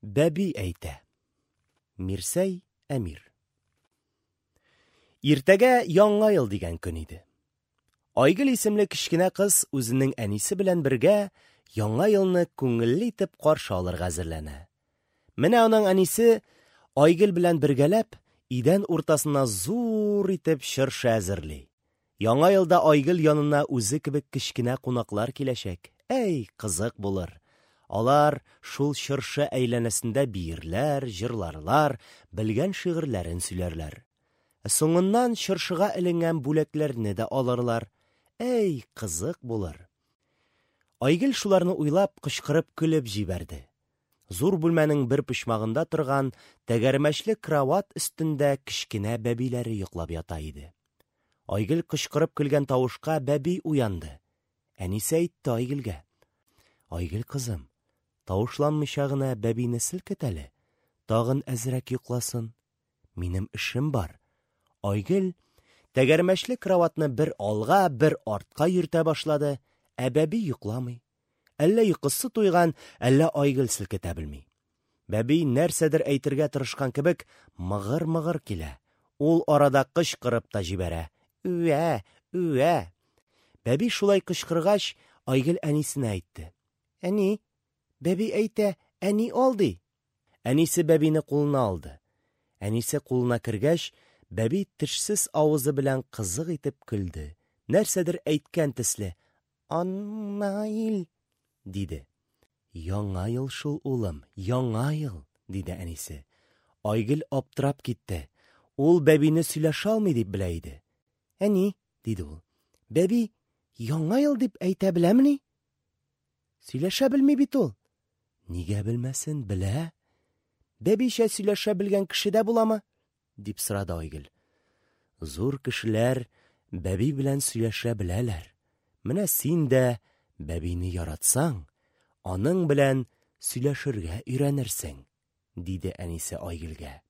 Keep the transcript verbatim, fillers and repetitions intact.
Бәби әйтә. Мирсәй Әмир. Иртәгә Яңа ел дигән көн иде. Айгөл исемле кечкенә кыз үзенең әнисе белән бергә Яңа елны күңелле итеп каршы алырга әзерләнә. Менә аның әнисе Айгөл белән бергәләп идән уртасына зур итеп чыршы әзерли. Яңа елда Айгөл янына үзе кебек кечкенә кунаклар киләчәк. Әй, кызык булыр. Алар шул чыршы әйләнәсендә биерләр, җырларлар, белгән шигырьләрен сөйләрләр. Соңыннан чыршыга эленгән бүләкләрне дә алырлар. Әй, кызык булыр. Айгөл шуларны уйлап, кычкырып көлеп җибәрде. Зур бүлмәнең бер почмагында торган тәгәрмәчле кровать өстендә кечкенә бәбиләре йоклап ята иде. Айгөл кычкырып көлгән тавышка бәби уянды. Әнисе әйтте Айгөлгә: "Айгөл кызым, тавышланмыйча гына бәбине селкет әле, тагын әзрәк йокласын. Минем эшем бар." Айгөл тәгәрмәчле кроватьны бер алга, бер артка йөртә башлады, ә бәби йокламый. Әллә йокысы туйган, әллә Айгөл селкетә белми. Бәби нәрсәдер әйтергә тырышкан кебек мыгыр-мыгыр килә. Ул арада кычкырып та җибәрә: "Үә, үә!" Бәби шулай кычкыргач, Айгөл әнисенә әйтте: "Әни, бәби әйтә, әни ал ди." Әнисе бәбине кулына алды. Әнисе кулына кергәч, бәби тешсез авызы белән кызык итеп көлде. Нәрсәдер әйткән төсле: "Аннаил" диде. "Яңа ел шул, улым, яңа ел", диде әнисе. Айгөл аптырап китте. Ул бәбине сөйләшә алмый дип белә иде. "Әни", диде ул. "Бәби яңа ел дип әйтә беләмени? Сөйләшә белми бит ул." "Нигә белмәсен, белә. Бәбичә сөйләшә белгән кеше дә буламы?" дип сорады Айгөл. "Зур кешеләр бәби белән сөйләшә беләләр. Менә син дә бәбине яратсаң, аның белән сөйләшергә өйрәнерсең", диде әнисе Айгөлгә.